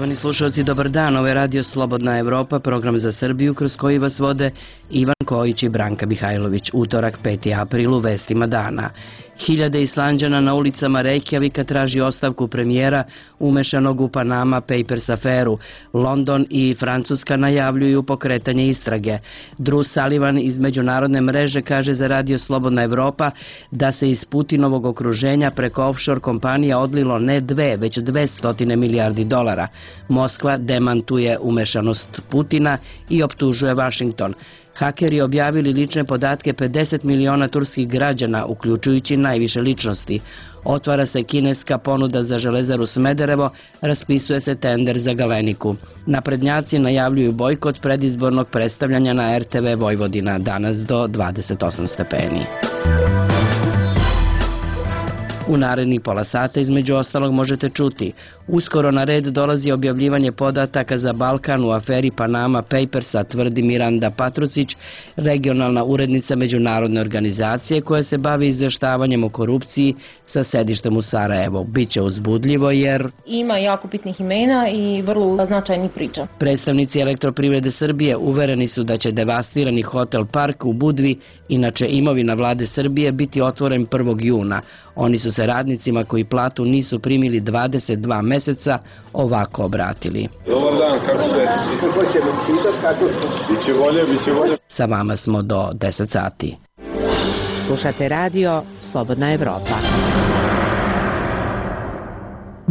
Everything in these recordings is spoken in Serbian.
Poštovani slušalci, dobar dan. Ovo je Radio Slobodna Evropa, program za Srbiju kroz koji vas vode Ivan Kojić i Branka Mihajlović. Utorak, 5. april, u vestima dana. Hiljade Islanđana na ulicama Reykjavika traži ostavku premijera umešanog u Panama Papers aferu. London i Francuska najavljuju pokretanje istrage. Drew Sullivan iz međunarodne mreže kaže za Radio Slobodna Evropa da se iz Putinovog okruženja preko offshore kompanija odlilo ne 2, već 200 milijardi dolara. Moskva demantuje umešanost Putina i optužuje Washington. Hakeri objavili lične podatke 50 miliona turskih građana, uključujući najviše ličnosti. Otvara se kineska ponuda za železaru Smederevo, raspisuje se tender za Galeniku. Naprednjaci najavljuju bojkot predizbornog predstavljanja na RTV Vojvodina, danas do 28 stepeni. U narednih pola sata između ostalog možete čuti: uskoro na red dolazi objavljivanje podataka za Balkan u aferi Panama Papersa, tvrdi Miranda Patrucić, regionalna urednica međunarodne organizacije koja se bavi izvještavanjem o korupciji sa sedištem u Sarajevu. Biće uzbudljivo jer ima jako bitnih imena i vrlo značajnih priča. Predstavnici Elektroprivrede Srbije uvereni su da će devastirani hotel Park u Budvi, inače imovina vlade Srbije, biti otvoren 1. juna. Oni su se radnicima koji platu nisu primili 22 meseca ovako obratili. Dobar dan, kako ste? Biće bolje. Sa vama smo do 10 sati. Slušate radio Slobodna Evropa.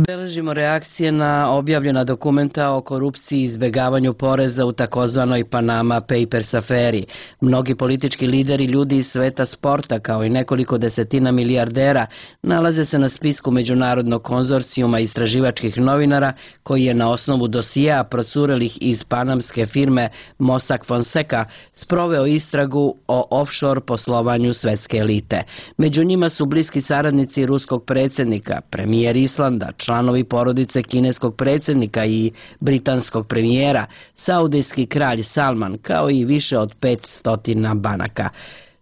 Beležimo reakcije na objavljena dokumenta o korupciji i izbegavanju poreza u takozvanoj Panama Papers aferi. Mnogi politički lideri, ljudi iz sveta sporta, kao i nekoliko desetina milijardera, nalaze se na spisku međunarodnog konzorcijuma istraživačkih novinara koji je na osnovu dosijea procurelih iz panamske firme Mossack Fonseca sproveo istragu o offshore poslovanju svetske elite. Među njima su bliski saradnici ruskog predsjednika, premijer Islanda, članovi porodice kineskog predsjednika i britanskog premijera, saudijski kralj Salman, kao i više od 500 banaka.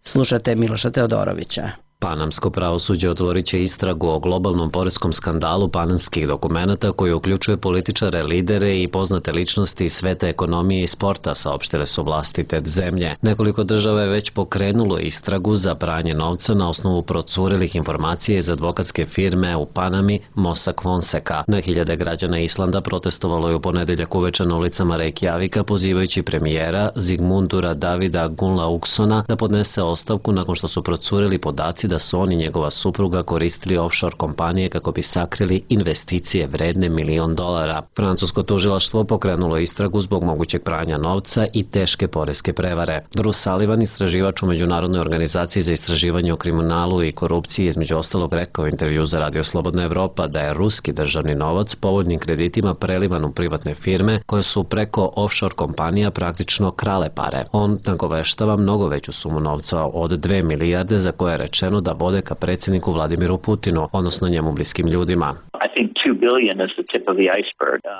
Slušate Miloša Teodorovića. Panamsko pravosuđe otvorit će istragu o globalnom poreskom skandalu panamskih dokumenata koji uključuje političare, lidere i poznate ličnosti iz sveta ekonomije i sporta, saopštile su vlasti te zemlje. Nekoliko država je već pokrenulo istragu za pranje novca na osnovu procurelih informacija iz advokatske firme u Panami Mossack Fonseca. Na hiljade građana Islanda protestovalo je u ponedeljak uveče na ulicama Reykjavika pozivajući premijera Zigmundura Davida Gunnlaugsona da podnese ostavku nakon što su procureli podaci da su on i njegova supruga koristili offshore kompanije kako bi sakrili investicije vredne $1 milion. Francusko tužilaštvo pokrenulo istragu zbog mogućeg pranja novca i teške poreske prevare. Drew Sullivan, istraživač u Međunarodnoj organizaciji za istraživanje o kriminalu i korupciji, između ostalog rekao u intervju za Radio Slobodna Evropa da je ruski državni novac povoljnim kreditima prelivan u privatne firme koje su preko offshore kompanija praktično krale pare. On nagoveštava mnogo veću sumu novca od 2 milijarde za koje je rečeno da vode ka predsjedniku Vladimiru Putinu, odnosno njemu bliskim ljudima.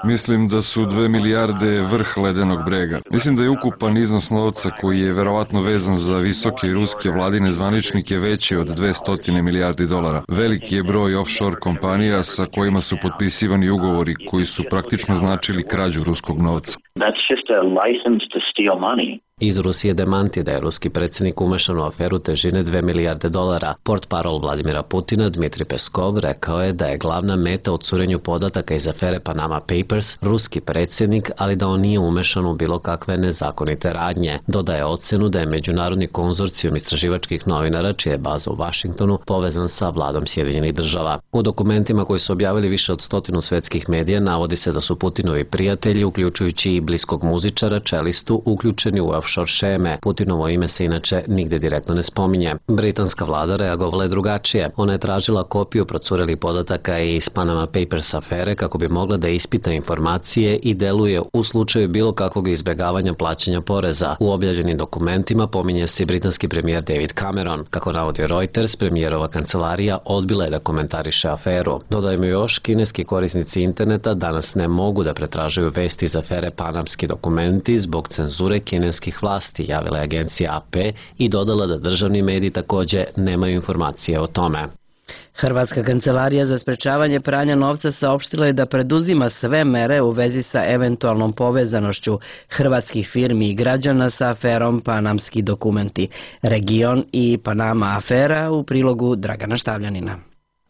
Mislim da su 2 milijarde vrh ledenog brega. Mislim da je ukupan iznos novca koji je verovatno vezan za visoke ruske vladine zvaničnike veći od 200 milijardi dolara. Veliki je broj offshore kompanija sa kojima su potpisivani ugovori koji su praktično značili krađu ruskog novca. Iz Rusije demanti da je ruski predsjednik umešan u aferu težine 2 milijarde dolara. Portparol Vladimira Putina Dmitri Peskov rekao je da je glavna meta u curenju podataka iz afere Panama Papers ruski predsjednik, ali da on nije umešan u bilo kakve nezakonite radnje. Dodaje ocenu da je međunarodni konzorcijum istraživačkih novinara, čija je baza u Washingtonu, povezan sa vladom Sjedinjenih država. U dokumentima koji su objavili više od 100 svetskih medija navodi se da su Putinovi prijatelji, uključujući i bliskog muzičara, čelistu, uključeni u offshore šeme. Putinovo ime se inače nigde direktno ne spominje. Britanska vlada reagovala je drugačije. Ona je tražila kopiju procurelih podataka iz Panama Papers afere kako bi mogla da ispita informacije i deluje u slučaju bilo kakvog izbjegavanja plaćanja poreza. U objavljenim dokumentima pominje se britanski premijer David Cameron. Kako navodi Reuters, premijerova kancelarija odbila je da komentariše aferu. Dodajmo još, kineski korisnici interneta danas ne mogu da pretražuju vesti iz afere Panamski dokumenti zbog cenzure kineskih vlasti, javila je agencija AP i dodala da državni mediji također nemaju informacije o tome. Hrvatska kancelarija za sprečavanje pranja novca saopštila je da preduzima sve mere u vezi sa eventualnom povezanošću hrvatskih firmi i građana sa aferom Panamski dokumenti. Region i Panama afera u prilogu Dragana Štavljanina.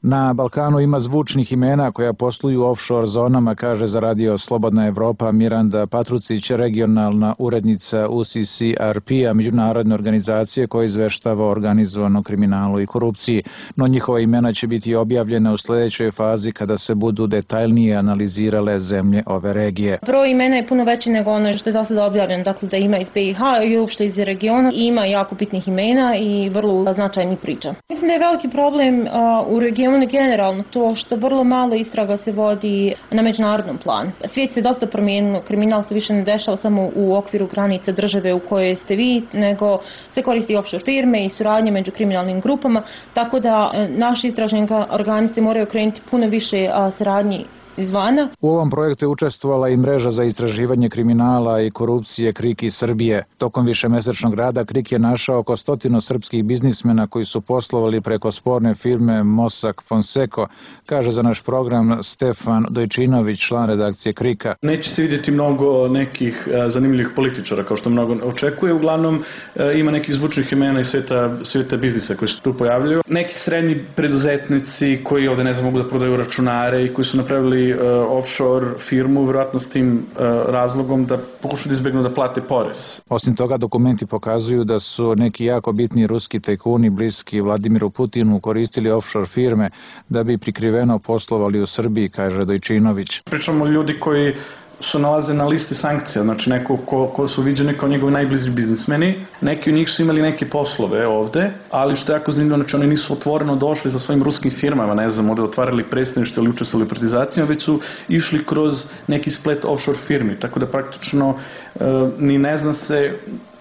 Na Balkanu ima zvučnih imena koja posluju u offshore zonama, kaže za radio Slobodna Evropa Miranda Patrucić, regionalna urednica UCCRP-a, međunarodne organizacije koja izveštava o organizovanom kriminalu i korupciji. No njihova imena će biti objavljena u sljedećoj fazi kada se budu detaljnije analizirale zemlje ove regije. Broj imena je puno veći nego ono što je do sada objavljeno, dakle da ima iz BiH i uopšte iz regiona. Ima jako bitnih imena i vrlo značajnih priča. Mislim da je veliki problem u regionu generalno to što vrlo malo istraga se vodi na međunarodnom planu. Svijet se dosta promijenio, kriminal se više ne dešava samo u okviru granica države u kojoj ste vi, nego se koristi offshore firme i suradnje među kriminalnim grupama, tako da naši istražni organi se moraju krenuti puno više saradnji izvana. U ovom projektu je učestvovala i mreža za istraživanje kriminala i korupcije KRIK iz Srbije. Tokom višemesečnog rada KRIK je našao oko 100 srpskih biznismena koji su poslovali preko sporne firme Mossack Fonseca, kaže za naš program Stefan Dojčinović, član redakcije KRIK-a. Neće se vidjeti mnogo nekih zanimljivih političara, kao što mnogo očekuje. Uglavnom ima nekih zvučnih imena iz sveta biznisa koji se tu pojavljaju. Neki srednji preduzetnici koji ovde mogu da prodaju računare i koji su napravili offshore firmu, vjerojatno s tim razlogom da pokušaju da izbjegnu da plate porez. Osim toga, dokumenti pokazuju da su neki jako bitni ruski tajkuni bliski Vladimiru Putinu koristili offshore firme da bi prikriveno poslovali u Srbiji, kaže Dojčinović. Pričamo o ljudi koji su nalaze na listi sankcija, znači neko ko su viđeni kao njegovi najbliži biznismeni. Neki od njih su imali neke poslove ovde, ali što je jako zanimljivo, znači oni nisu otvoreno došli sa svojim ruskim firmama, ovde otvarali predstavništvo ili učestvovali u privatizacijama, već su išli kroz neki splet offshore firmi, tako da praktično ni ne zna se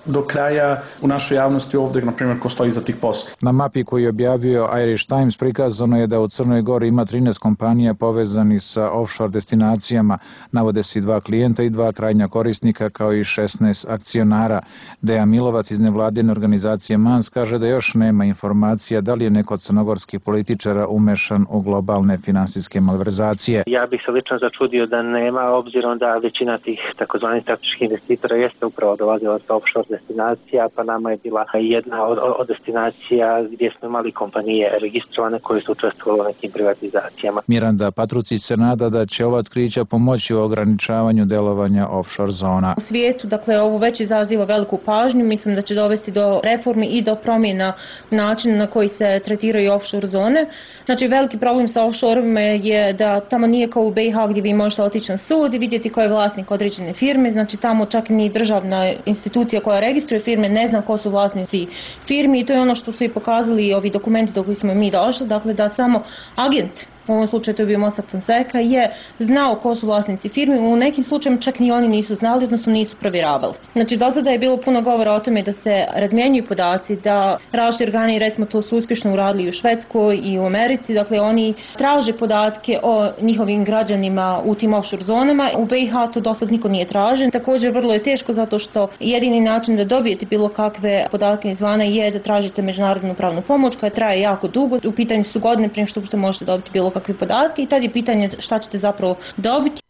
do kraja u našoj javnosti ovde, na primjer, ko stoji za tih posla. Na mapi koju je objavio Irish Times prikazano je da u Crnoj Gori ima 13 kompanija povezani sa offshore destinacijama. Navode se 2 klijenta i 2 krajnja korisnika kao i 16 akcionara. Dejan Milovac iz nevladine organizacije MANS kaže da još nema informacija da li je neko od crnogorskih političara umešan u globalne finansijske malverzacije. Ja bih se lično začudio da nema, obzirom da većina tih takozvanih strateških investitora jeste upravo dolazila sa offshore destinacija, pa nama je bila jedna od destinacija gdje smo imali kompanije registrovane koje su učestvovale u nekim privatizacijama. Miranda Patrucić se nada da će ova otkrića pomoći u ograničavanju delovanja offshore zona. U svijetu, dakle, ovo već izaziva veliku pažnju, mislim da će dovesti do reformi i do promjena načina na koji se tretiraju offshore zone. Znači, veliki problem sa offshore-ima je da tamo nije kao u BiH gdje vi možete otići na sud i vidjeti ko je vlasnik određene firme, znači tamo čak ni državna institucija koja registruje firme ne zna ko su vlasnici firmi i to je ono što su i pokazali ovi dokumenti do kojih smo mi došli, dakle da samo agent, u ovom slučaju to je bio Mossack Fonseca, je znao ko su vlasnici firmi, u nekim slučajima čak ni oni nisu znali, odnosno nisu provjeravali. Znači, do sada je bilo puno govora o tome da se razmjenjuju podaci, da različiti organi, recimo to su uspješno uradili u Švedskoj i u Americi, dakle oni traže podatke o njihovim građanima u tim offshore zonama. U BiH to do sada niko nije tražen. Također vrlo je teško zato što jedini način da dobijete bilo kakve podatke izvana je da tražite međunarodnu pravnu pomoć koja traje jako dugo. U pitanju su godine prije što možete dobiti bilo kakve podatke i tad je pitanje šta ćete zapravo dobiti.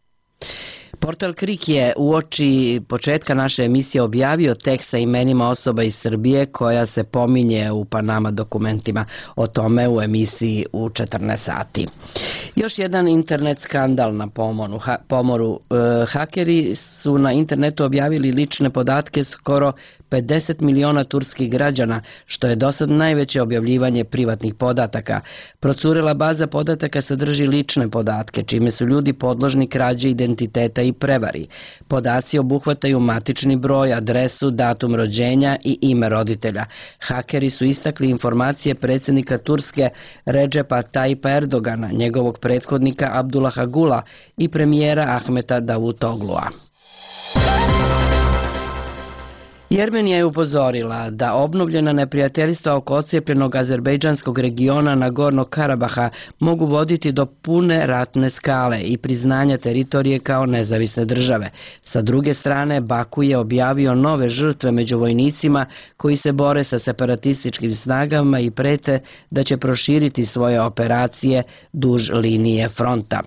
Portal KRIK je uoči početka naše emisije objavio tekst sa imenima osoba iz Srbije koja se pominje u Panama dokumentima. O tome u emisiji u 14 sati. Još jedan internet skandal na pomoru. Hakeri su na internetu objavili lične podatke skoro 50 miliona turskih građana, što je dosad najveće objavljivanje privatnih podataka. Procurela baza podataka sadrži lične podatke, čime su ljudi podložni krađi identiteta i prevari. Podaci obuhvataju matični broj, adresu, datum rođenja i ime roditelja. Hakeri su istakli informacije predsjednika Turske Redžepa Tayyipa Erdogana, njegovog prethodnika Abdullaha Gula i premijera Ahmeta Davutoglua. Jermenija je upozorila da obnovljena neprijateljstva oko ocijepljenog azerbejdžanskog regiona Nagornog Karabaha mogu voditi do pune ratne skale i priznanja teritorije kao nezavisne države. Sa druge strane, Baku je objavio nove žrtve među vojnicima koji se bore sa separatističkim snagama i prete da će proširiti svoje operacije duž linije fronta.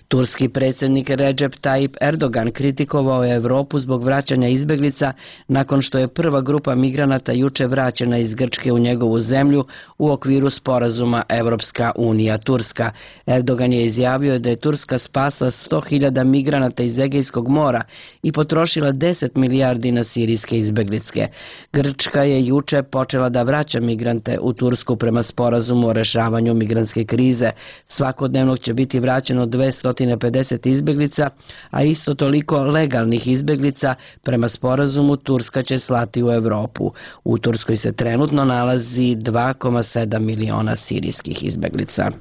Turski predsjednik Recep Tayyip Erdogan kritikovao je Evropu zbog vraćanja izbeglica nakon što je prva grupa migranata juče vraćena iz Grčke u njegovu zemlju u okviru sporazuma Evropska unija-Turska. Erdogan je izjavio da je Turska spasla 100.000 migranata iz Egejskog mora i potrošila 10 milijardi na sirijske izbeglice. Grčka je juče počela da vraća migrante u Tursku prema sporazumu o rešavanju migrantske krize. Svakodnevno će biti vraćeno 250 izbeglica, a isto toliko legalnih izbeglica. Prema sporazumu Turska će slati u Evropu. U Turskoj se trenutno nalazi 2,7 miliona sirijskih izbeglica.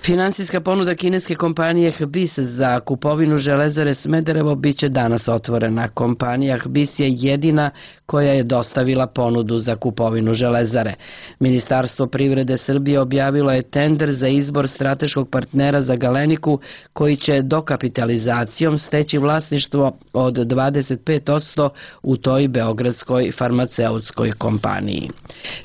Finansijska ponuda kineske kompanije HBIS za kupovinu železare Smederevo biće danas otvorena. Kompanija HBIS je jedina koja je dostavila ponudu za kupovinu železare. Ministarstvo privrede Srbije objavilo je tender za izbor strateškog partnera za Galeniku koji će dokapitalizacijom steći vlasništvo od 25% u toj beogradskoj farmaceutskoj kompaniji.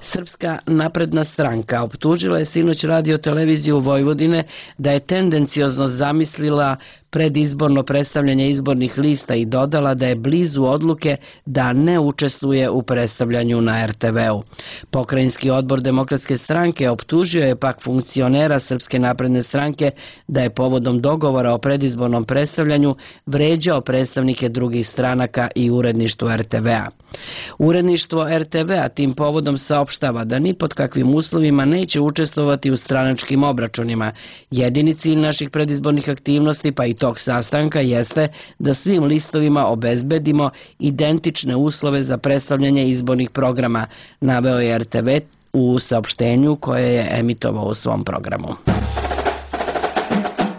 Srpska napredna stranka optužila je sinoć Radio televiziju Vojvodine da je tendenciozno zamislila predizborno predstavljanje izbornih lista i dodala da je blizu odluke da ne učestvuje u predstavljanju na RTV-u. Pokrajinski odbor Demokratske stranke optužio je pak funkcionera Srpske napredne stranke da je povodom dogovora o predizbornom predstavljanju vređao predstavnike drugih stranaka i uredništvo RTV-a. Uredništvo RTV-a tim povodom saopštava da ni pod kakvim uslovima neće učestvovati u stranačkim obračunima. Jedini cilj naših predizbornih aktivnosti, pa i tog sastanka, jeste da svim listovima obezbedimo identične uslove za predstavljanje izbornih programa, naveo je RTV u saopštenju koje je emitovao u svom programu.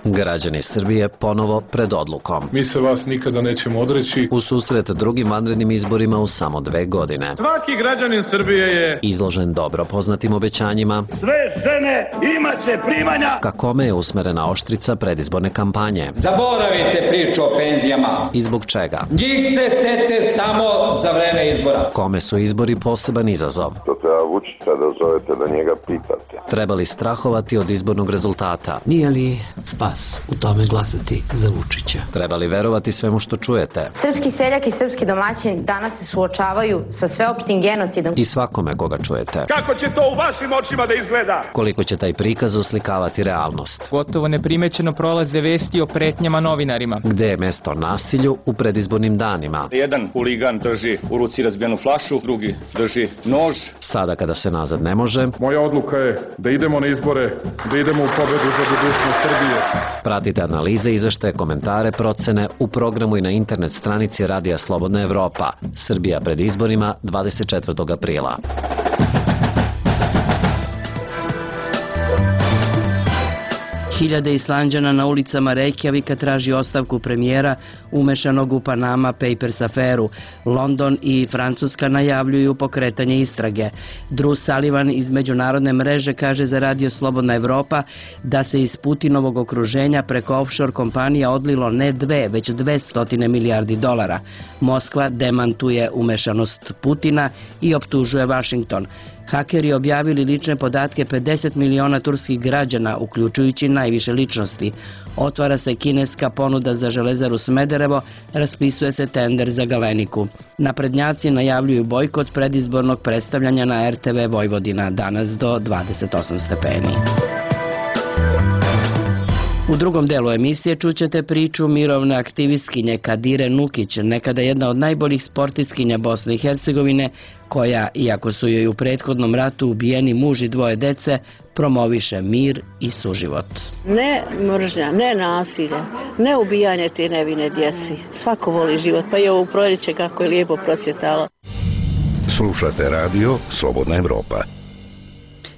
Građani Srbije ponovo pred odlukom. Mi se vas nikada nećemo odreći. U susret drugim vanrednim izborima u samo 2 godine. Svaki građanin Srbije je izložen dobro poznatim obećanjima. Sve žene imaće primanja. Ka kome je usmerena oštrica predizborne kampanje? Zaboravite priču o penzijama. I zbog čega? Njih se sete samo za vreme izbora. Kome su izbori poseban izazov? To treba Vučića da zovete da njega pitate. Treba li strahovati od izbornog rezultata? Nije li spas u tome glasati za Vučića? Treba li verovati svemu što čujete? Srpski seljak i srpski domaćin danas se suočavaju sa sveopštim genocidom. I svakome koga čujete. Kako će to u vašim očima da izgleda? Koliko će taj prikaz oslikavati realnost? Gotovo neprimećeno prolaze vesti o pretnjama novinarima. Gde je mesto nasilju u predizbornim danima? Jedan huligan drži u ruci razbijenu flašu, drugi drži nož. Sada kada se nazad ne može. Moja odluka je da idemo na izbore, da idemo u pobedu za budućnost Srbije. Pratite analize, izveštaje, komentare, procene u programu i na internet stranici Radija Slobodna Evropa. Srbija pred izborima 24. aprila. Hiljade Islanđana na ulicama Reykjavika traži ostavku premijera umešanog u Panama Papers aferu. London i Francuska najavljuju pokretanje istrage. Drew Sullivan iz međunarodne mreže kaže za Radio Slobodna Evropa da se iz Putinovog okruženja preko offshore kompanija odlilo ne 2, već 200 milijardi dolara. Moskva demantuje umešanost Putina i optužuje Washington. Hakeri objavili lične podatke 50 miliona turskih građana, uključujući najviše ličnosti. Otvara se kineska ponuda za železaru Smederevo, raspisuje se tender za Galeniku. Naprednjaci najavljuju bojkot predizbornog predstavljanja na RTV Vojvodina, danas do 28 stepeni. U drugom delu emisije čućete priču mirovne aktivistkinje Kadire Nukić, nekada jedna od najboljih sportistkinja Bosne i Hercegovine, koja, iako su joj u prethodnom ratu ubijeni muž i 2 dece, promoviše mir i suživot. Ne mržnja, ne nasilje, ne ubijanje te nevine djeci. Svako voli život, pa je ovo proljeće kako je lijepo procvjetalo. Slušate radio Slobodna Evropa.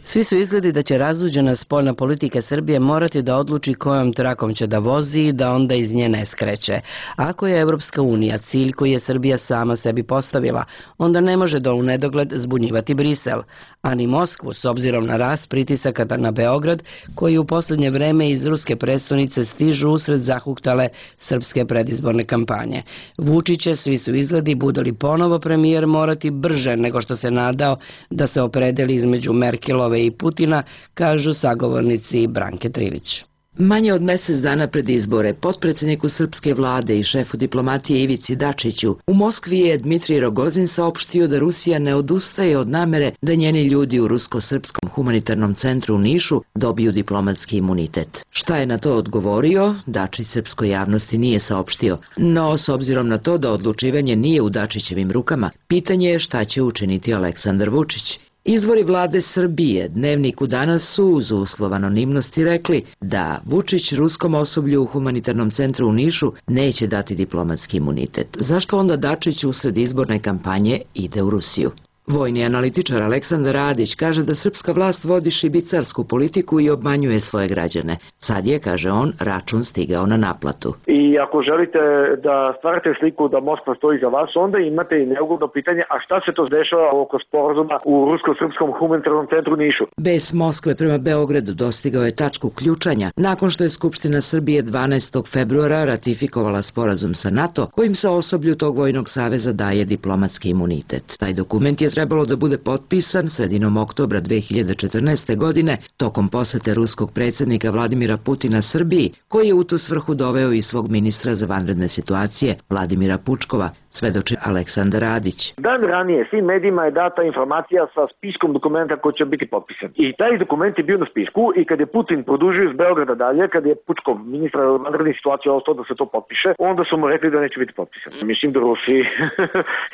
Svi su izgledi da će razuđena spoljna politika Srbije morati da odluči kojom trakom će da vozi i da onda iz nje ne skreće. Ako je Evropska unija cilj koji je Srbija sama sebi postavila, onda ne može do u nedogled zbunjivati Brisel, a ni Moskvu s obzirom na rast pritisaka na Beograd koji u posljednje vreme iz ruske prestonice stižu usred zahuktale srpske predizborne kampanje. Vučić će, svi su izgledi, bude li ponovo premijer, morati brže nego što se nadao da se opredeli između Merkelove i Putina, kažu sagovornici Branke Trivić. Manje od mjesec dana pred izbore, potpredsjedniku srpske vlade i šefu diplomatije Ivici Dačiću, u Moskvi je Dmitrij Rogozin saopštio da Rusija ne odustaje od namere da njeni ljudi u Rusko-srpskom humanitarnom centru u Nišu dobiju diplomatski imunitet. Šta je na to odgovorio, Dačić srpskoj javnosti nije saopštio, no s obzirom na to da odlučivanje nije u Dačićevim rukama, pitanje je šta će učiniti Aleksandar Vučić. Izvori vlade Srbije Dnevniku danas su uz uslov anonimnosti rekli da Vučić ruskom osoblju u humanitarnom centru u Nišu neće dati diplomatski imunitet. Zašto onda Dačić usred izborne kampanje ide u Rusiju? Vojni analitičar Aleksandar Radić kaže da srpska vlast vodi šibicarsku politiku i obmanjuje svoje građane. Sad je, kaže on, račun stigao na naplatu. I ako želite da stvarate sliku da Moskva stoji za vas, onda imate i neugodno pitanje, a šta se to dešava oko sporazuma u Rusko-srpskom humanitarnom centru Nišu? Bes Moskve prema Beogradu dostigao je tačku ključanja nakon što je Skupština Srbije 12. februara ratifikovala sporazum sa NATO, kojim se osoblju tog vojnog saveza daje diplomatski imunitet. Taj dokument je trebalo da bude potpisan sredinom oktobra 2014. godine tokom posete ruskog predsjednika Vladimira Putina Srbiji, koji je u tu svrhu doveo i svog ministra za vanredne situacije Vladimira Pučkova, svedoči Aleksandar Radić. Dan ranije svim medijima je data informacija sa spiskom dokumenta koji će biti potpisan. I taj dokument je bio na spisku i kad je Putin produžio iz Beograda dalje, kad je Pučkov ministra vanredne situacije ostao da se to potpiše, onda su mu rekli da neće biti potpisan. Mislim da Rusi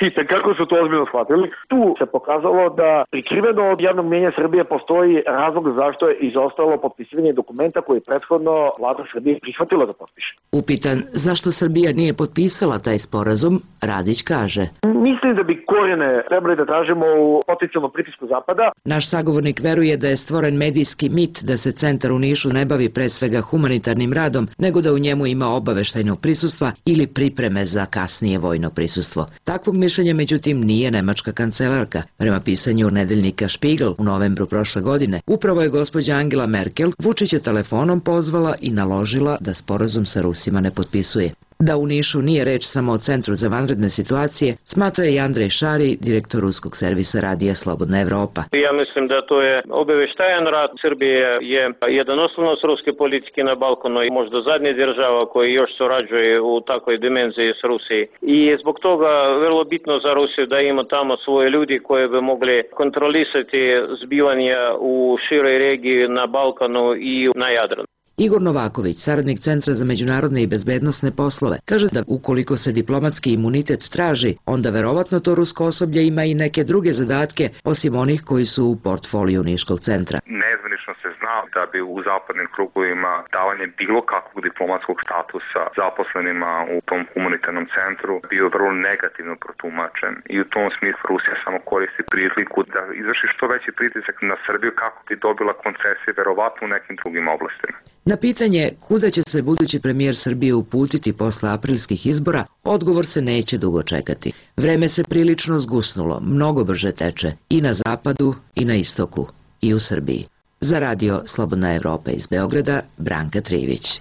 i kako su to ozbiljno shvatili. Tu se pokazalo da prikriveno od javnog mnjenja Srbije postoji razlog zašto je izostalo potpisivanje dokumenta koji je prethodno vlada Srbije prihvatila da potpiše. Upitan zašto Srbija nije potpisala taj sporazum, Radić kaže: Mislim da bi korijene trebali da tražimo u potencijalnom pritisku Zapada. Naš sagovornik veruje da je stvoren medijski mit da se centar u Nišu ne bavi pre svega humanitarnim radom, nego da u njemu ima obaveštajnog prisustva ili pripreme za kasnije vojno prisustvo. Takvog mišljenja međutim nije nemačka kancelarka. Prema pisanju nedeljnika Spiegel u novembru prošle godine, upravo je gospođa Angela Merkel Vučića telefonom pozvala i naložila da sporazum sa Rusima ne potpisuje. Da u Nišu nije reč samo o Centru za vanredne situacije, smatra i Andrej Šari, direktor ruskog servisa radija Slobodna Evropa. Ja mislim da to je obaveštajan rad. Srbije je jedan oslonac ruske politike na Balkanu i možda zadnja država koja još surađuje u takvoj dimenziji s Rusiji. I zbog toga vrlo bitno za Rusiju da ima tamo svoje ljudi koji bi mogli kontrolisati zbivanja u široj regiji na Balkanu i na Jadranu. Igor Novaković, saradnik Centra za međunarodne i bezbednosne poslove, kaže da ukoliko se diplomatski imunitet traži, onda verovatno to rusko osoblje ima i neke druge zadatke, osim onih koji su u portfoliju Niškog centra. Nezvanično se zna da bi u zapadnim krugovima davanje bilo kakvog diplomatskog statusa zaposlenima u tom humanitarnom centru bio vrlo negativno protumačen i u tom smislu Rusija samo koristi priliku da izvrši što veći pritisak na Srbiju kako bi dobila koncesije verovatno u nekim drugim oblastima. Na pitanje kuda će se budući premijer Srbije uputiti posle aprilskih izbora, odgovor se neće dugo čekati. Vreme se prilično zgusnulo, mnogo brže teče i na zapadu i na istoku i u Srbiji. Za radio Slobodna Evropa iz Beograda, Branka Trivić.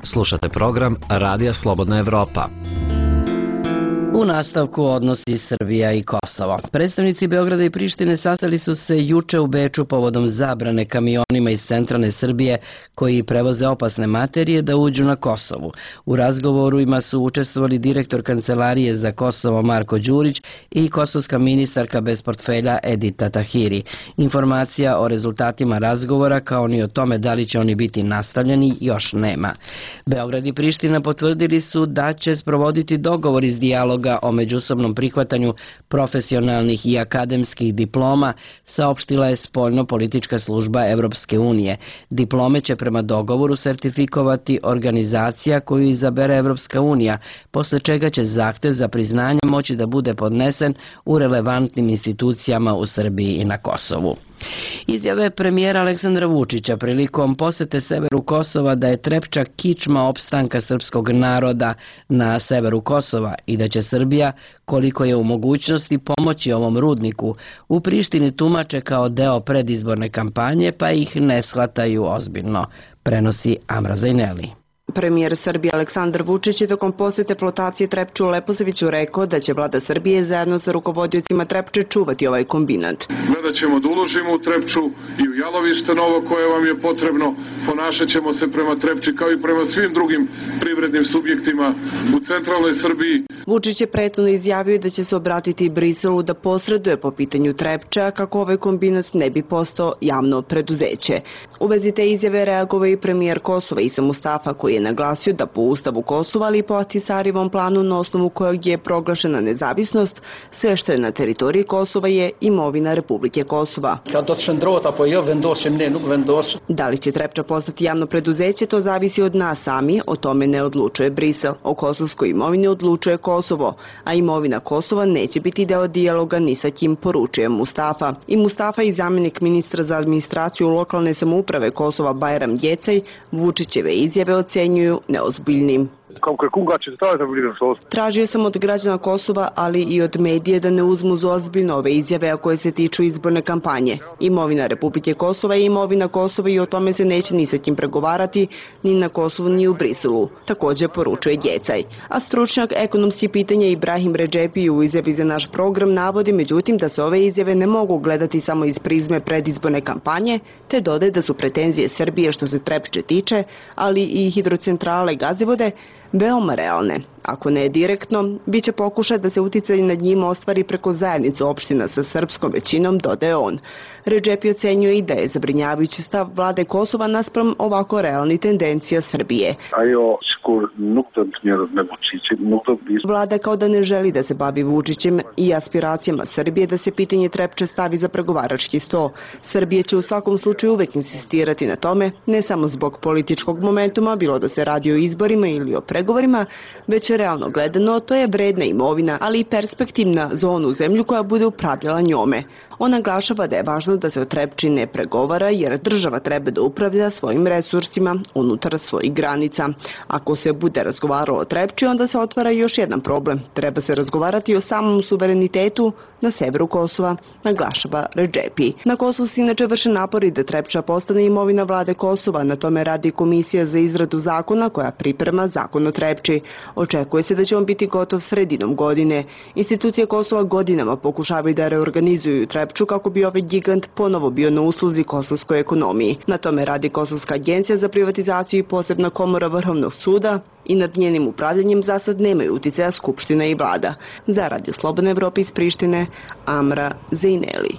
Slušate program Radija Slobodna Evropa. U nastavku odnosi Srbija i Kosovo. Predstavnici Beograda i Prištine sastali su se juče u Beču povodom zabrane kamionima iz centralne Srbije koji prevoze opasne materije da uđu na Kosovu. U razgovorima su učestvovali direktor Kancelarije za Kosovo Marko Đurić i kosovska ministarka bez portfelja Edita Tahiri. Informacija o rezultatima razgovora kao ni o tome da li će oni biti nastavljeni još nema. Beograd i Priština potvrdili su da će sprovoditi dogovor iz dijaloga dijaloga o međusobnom prihvatanju profesionalnih i akademskih diploma, saopštila je spoljno-politička služba Evropske unije. Diplome će prema dogovoru sertifikovati organizacija koju izabere Evropska unija, posle čega će zahtev za priznanje moći da bude podnesen u relevantnim institucijama u Srbiji i na Kosovu. Izjave premijera Aleksandra Vučića prilikom posete severu Kosova da je Trepča kičma opstanka srpskog naroda na severu Kosova i da će Srbija, koliko je u mogućnosti, pomoći ovom rudniku, u Prištini tumače kao deo predizborne kampanje, pa ih ne shvataju ozbiljno, prenosi Amra Zajneli. Premijer Srbije Aleksandar Vučić je tokom posete flotacije Trepče u Leposaviću rekao da će vlada Srbije zajedno sa rukovodiocima Trepče čuvati ovaj kombinat. Gledat ćemo da uložimo u Trepču i u jalovište novo koje vam je potrebno. Ponašat ćemo se prema Trepči kao i prema svim drugim privrednim subjektima u centralnoj Srbiji. Vučić je prethodno izjavio da će se obratiti Briselu da posreduje po pitanju Trepča kako ovaj kombinat ne bi postao javno preduzeće. U vezi te izjave reagovao i premijer Kosova Isa Mustafa, koji je naglasio da po Ustavu Kosova, ali i po Ahtisarijevom planu na osnovu kojeg je proglašena nezavisnost, sve što je na teritoriji Kosova je imovina Republike Kosova. Da li će Trepča postati javno preduzeće, to zavisi od nas sami, o tome ne odlučuje Brisel. O kosovskoj imovini odlučuje Kosovo, a imovina Kosova neće biti deo dijaloga ni sa kim, poručuje Mustafa. I Mustafa i zamjenik ministra za administraciju lokalne samouprave Kosova Bajram Jecaj Vučićeve izjave ocenjuju neozbiljnim. Tražio sam od građana Kosova, ali i od medije da ne uzmu za ozbiljno ove izjave, a koje se tiču izborne kampanje. Imovina Republike Kosova je imovina Kosova i o tome se neće ni sa kim pregovarati, ni na Kosovu ni u Briselu, također poručuje Jecaj. A stručnjak ekonomskih pitanja Ibrahim Redžepi u izjavi za naš program navodi međutim da se ove izjave ne mogu gledati samo iz prizme predizborne kampanje, te dodaje da su pretenzije Srbije što se Trepče tiče, ali i hidrocentrale Gazivode, veoma realne. Ako ne direktno, bit će pokušaj da se uticaj nad njima ostvari preko zajednice opština sa srpskom većinom, dodaje on. Redžepi ocenjuje i da je zabrinjavajući stav vlade Kosova naspram ovako realni tendencija Srbije. Vlada kao da ne želi da se bavi Vučićem i aspiracijama Srbije da se pitanje Trepče stavi za pregovarački sto. Srbija će u svakom slučaju uvek insistirati na tome, ne samo zbog političkog momentuma, bilo da se radi o izborima ili o pregovorima, već realno gledano to je vredna imovina, ali i perspektivna za onu zemlju koja bude upravljala njome. On naglašava da je važno da se o Trepči ne pregovara jer država treba da upravlja svojim resursima unutar svojih granica. Ako se bude razgovaralo o Trepči, onda se otvara još jedan problem. Treba se razgovarati o samom suverenitetu na severu Kosova, naglašava Redžepi. Na Kosovu se inače vrše napori da Trepča postane imovina vlade Kosova. Na tome radi Komisija za izradu zakona koja priprema zakon o Trepči. Očekuje se da će on biti gotov sredinom godine. Institucije Kosova godinama pokušavaju da reorganizuju Trepču kako bi ovaj gigant ponovo bio na usluzi kosovskoj ekonomiji. Na tome radi Kosovska agencija za privatizaciju i posebna komora Vrhovnog suda i nad njenim upravljanjem za sad nemaju uticaja Skupština i vlada. Za Radio Slobodna Evropa iz Prištine, Amra Zajneli.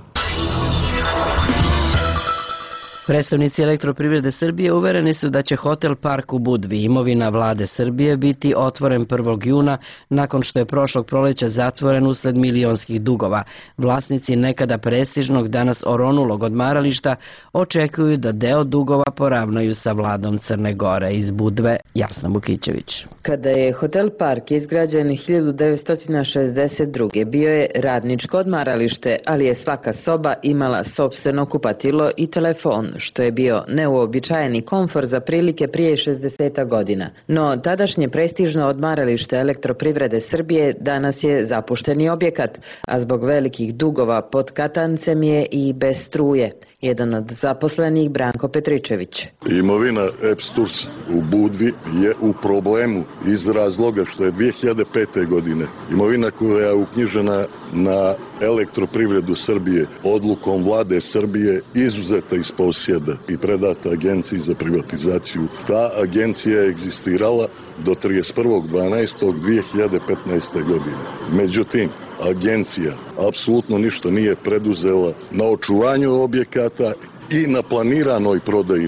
Predstavnici Elektroprivrede Srbije uvereni su da će hotel Park u Budvi, imovina vlade Srbije, biti otvoren 1. juna nakon što je prošlog proleća zatvoren usled milionskih dugova. Vlasnici nekada prestižnog, danas oronulog odmarališta očekuju da deo dugova poravnaju sa vladom Crne Gore. Iz Budve, Jasna Bukićević. Kada je hotel Park izgrađen 1962. bio je radničko odmaralište, ali je svaka soba imala sopstveno kupatilo i telefon, što je bio neuobičajeni komfor za prilike prije 60 godina. No, tadašnje prestižno odmaralište Elektroprivrede Srbije danas je zapušteni objekat, a zbog velikih dugova pod katancem je i bez struje. Jedan od zaposlenih, Branko Petričević. Imovina EPSTURS u Budvi je u problemu iz razloga što je 2005. godine imovina koja je uknjižena na Elektroprivredu Srbije odlukom vlade Srbije izuzeta iz posjeda i predata Agenciji za privatizaciju. Ta agencija je egzistirala do 31.12.2015. godine. Međutim, agencija apsolutno ništa nije preduzela na očuvanju objekata i na planiranoj prodaji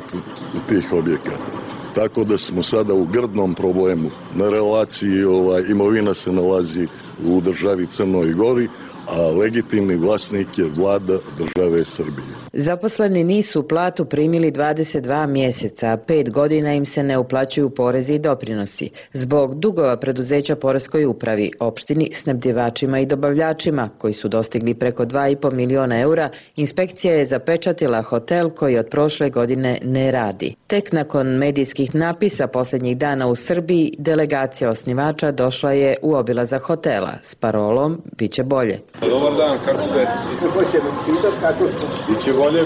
tih objekata. tako da smo sada u grdnom problemu. Na relaciji imovina se nalazi u državi Crnoj Gori, a legitimni vlasnik je vlada države Srbije. Zaposleni nisu platu primili 22 mjeseca, a 5 godina im se ne uplaćuju porezi i doprinosi. Zbog dugova preduzeća poreskoj upravi, opštini, snabdjevačima i dobavljačima, koji su dostigli preko 2,5 miliona eura, inspekcija je zapečatila hotel koji od prošle godine ne radi. Tek nakon medijskih napisa posljednjih dana u Srbiji, delegacija osnivača došla je u obilazak hotela s parolom "Biće bolje". Dobar dan, kako ste? Biće bolje.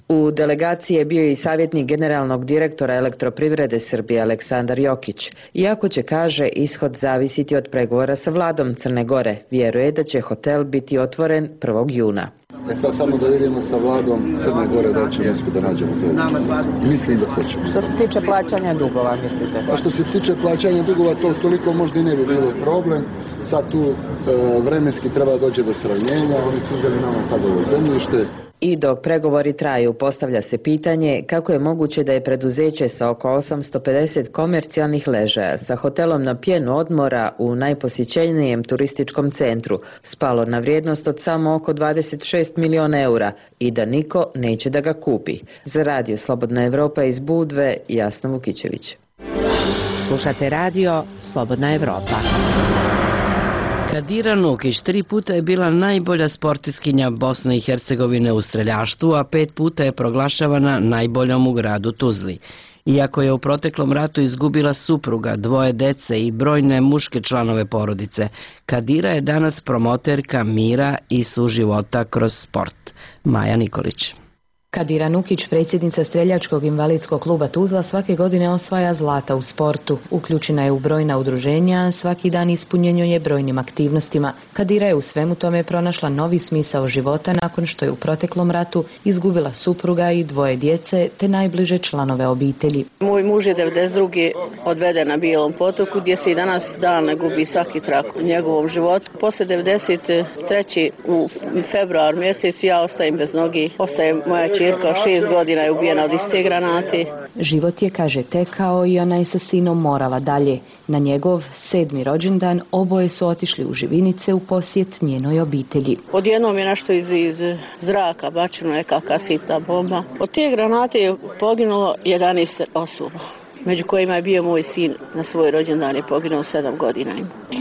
U delegaciji je bio i savjetnik generalnog direktora Elektroprivrede Srbije Aleksandar Jokić. Iako će, kaže, ishod zavisiti od pregovora sa vladom Crne Gore, vjeruje da će hotel biti otvoren 1. juna. Sad samo da vidimo sa vladom Crne Gore da ćemo uspjeti da nađemo zajedničku. Mislim da hoćemo. Što se tiče plaćanja dugova, mislite? A što se tiče plaćanja dugova, to toliko možda i ne bi bilo problem. Sad tu vremenski treba doći do sravnjenja, oni su uzeli nama sad ovo zemljište. I dok pregovori traju, postavlja se pitanje kako je moguće da je preduzeće sa oko 850 komercijalnih ležaja sa hotelom na pjenu odmora u najposjećenijem turističkom centru spalo na vrijednost od samo oko 26 miliona eura i da niko neće da ga kupi. Za radio Slobodna Evropa iz Budve, Jasna Vukićević. Slušate radio Slobodna Evropa. Kadira Nukić 3 puta je bila najbolja sportiskinja Bosne i Hercegovine u streljaštvu, a 5 puta je proglašavana najboljom u gradu Tuzli. Iako je u proteklom ratu izgubila supruga, 2 dece i brojne muške članove porodice, Kadira je danas promoterka mira i suživota kroz sport. Maja Nikolić. Kadira Nukić, predsjednica Streljačkog invalidskog kluba Tuzla, svake godine osvaja zlata u sportu. Uključena je u brojna udruženja, svaki dan ispunjenjuje brojnim aktivnostima. Kadira je u svemu tome pronašla novi smisao života nakon što je u proteklom ratu izgubila supruga i 2 djece te najbliže članove obitelji. Moj muž je 92. odveden na Bijelom potoku gdje se i danas dan ne gubi svaki trak u njegovom životu. Posle 93. u februar mjesecu ja ostajem bez nogi, ostaje moja čerka 6 godina je ubijena od iste granate. Život je, kaže, tekao i ona je sa sinom morala dalje. Na njegov 7. rođendan oboje su otišli u Živinice u posjet njenoj obitelji. Odjednom je nešto iz zraka bačeno nekakva sitna bomba. Od te granate je poginulo 11 osoba, među kojima je bio moj sin na svoj rođendan, je poginuo 7 godina.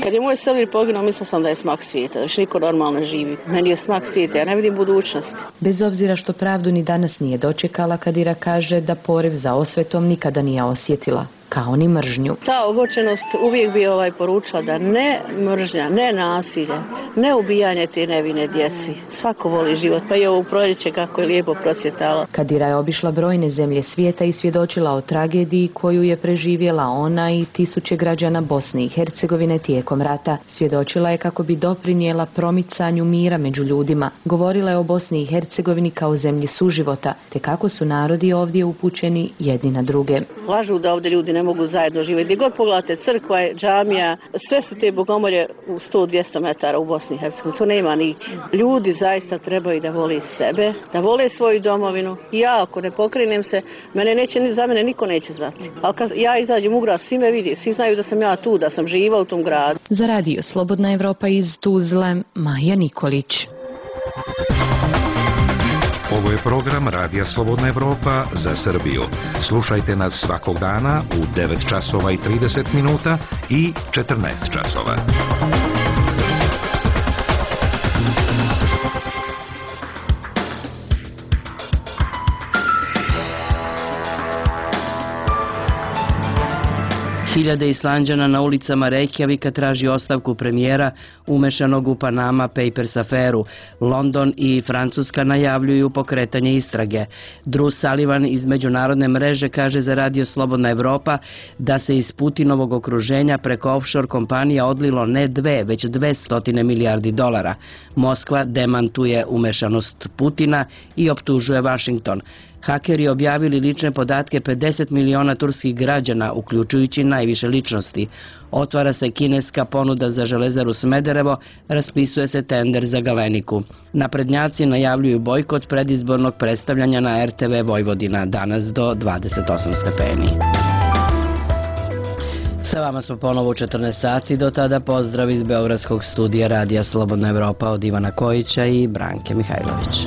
Kad je moj Selir poginuo, mislila sam da je smak svijeta, da još niko normalno živi. Meni je smak svijeta, ja ne vidim budućnosti. Bez obzira što pravdu ni danas nije dočekala, Kadira kaže da poriv za osvetom nikada nije osjetila, kao ni mržnju. Ta ogorčenost uvijek bi poručila da ne mržnja, ne nasilje, ne ubijanje te nevine djeci. Svako voli život, pa je ovo proljeće kako je lijepo procvjetalo. Kadira je obišla brojne zemlje svijeta i svjedočila o tragediji koju je preživjela ona i tisuće građana Bosne i Hercegovine tijekom rata. Svjedočila je kako bi doprinijela promicanju mira među ljudima. Govorila je o Bosni i Hercegovini kao zemlji suživota, te kako su narodi ovdje upućeni jedni na druge. Lažu da ovdje ljudi ne mogu zajedno živjeti. Gdje god pogledate, crkva, džamija, sve su te bogomolje u 100-200 metara u Bosni i Hercegovini. To nema niti. Ljudi zaista trebaju da vole sebe, da vole svoju domovinu. I ja, ako ne pokrenem se, za mene niko neće znati. Ali kad ja izađem u grad, svi me vidi, svi znaju da sam ja tu, da sam živa u tom gradu. Za radio Slobodna Evropa iz Tuzle, Maja Nikolić. Ovo je program Radija Slobodna Evropa za Srbiju. Slušajte nas svakog dana u 9 časova i 30 minuta i 14 časova. Hiljade Islanđana na ulicama Reykjavika traži ostavku premijera umešanog u Panama Papers aferu. London i Francuska najavljuju pokretanje istrage. Drew Sullivan iz međunarodne mreže kaže za radio Slobodna Evropa da se iz Putinovog okruženja preko offshore kompanija odlilo ne 2, već 200 milijardi dolara. Moskva demantuje umešanost Putina i optužuje Washington. Hakeri objavili lične podatke 50 miliona turskih građana, uključujući najviše ličnosti. Otvara se kineska ponuda za Železaru Smederevo, raspisuje se tender za Galeniku. Naprednjaci najavljuju bojkot predizbornog predstavljanja na RTV Vojvodina, danas do 28 stepeni. Sa vama smo ponovo u 14 sati, do tada pozdrav iz Beogradskog studija Radija Slobodna Evropa od Ivana Kojića i Branke Mihajlović.